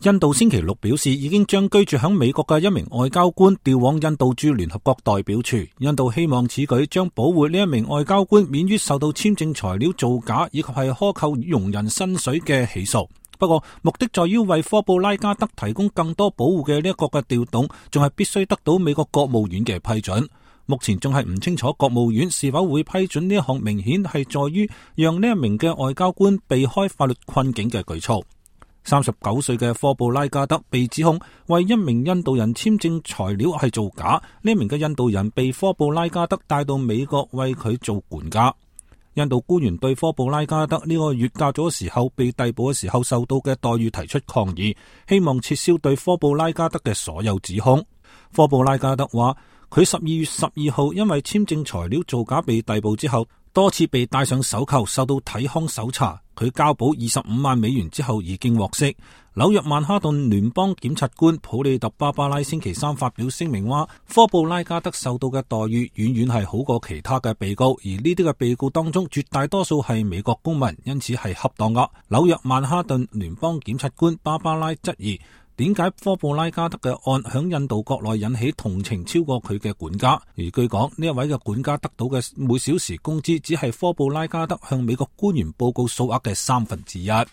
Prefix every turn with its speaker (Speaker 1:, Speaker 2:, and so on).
Speaker 1: 印度星期六表示，已經將居住喺美國嘅一名外交官調往印度駐聯合國代表處。印度希望此舉將保護呢一名外交官免於受到簽證材料造假以及係克扣傭人薪水嘅起訴。不過，目的在於為科布拉加德提供更多保護嘅呢一個嘅調動，仲係必須得到美國國務院嘅批准。目前仲係唔清楚國務院是否會批准呢一項明顯係在於讓呢一名嘅外交官避開法律困境嘅舉措。39歲嘅科布拉加德被指控為一名印度人簽證材料係造假，呢名嘅印度人被科布拉加德帶到美國為佢做管家。印度官員對科布拉加德呢個月假咗時候被逮捕嘅時候受到嘅待遇提出抗議，希望撤銷對科布拉加德嘅所有指控。科布拉加德話佢12月12號因為簽證材料造假被逮捕之後，多次被戴上手銬，受到體康搜查。佢交保25萬美元之後已經獲釋。紐約曼哈頓聯邦檢察官普利特巴巴拉星期三發表聲明話，科布拉加德受到嘅待遇遠遠係好過其他嘅被告，而呢啲嘅被告當中絕大多數係美國公民，因此係恰當噶。紐約曼哈頓聯邦檢察官巴巴拉質疑，點解科布拉加德嘅案響印度國內引起同情超過佢嘅管家？而據講，呢一位嘅管家得到嘅每小時工資只係科布拉加德向美國官員報告數額嘅1/3。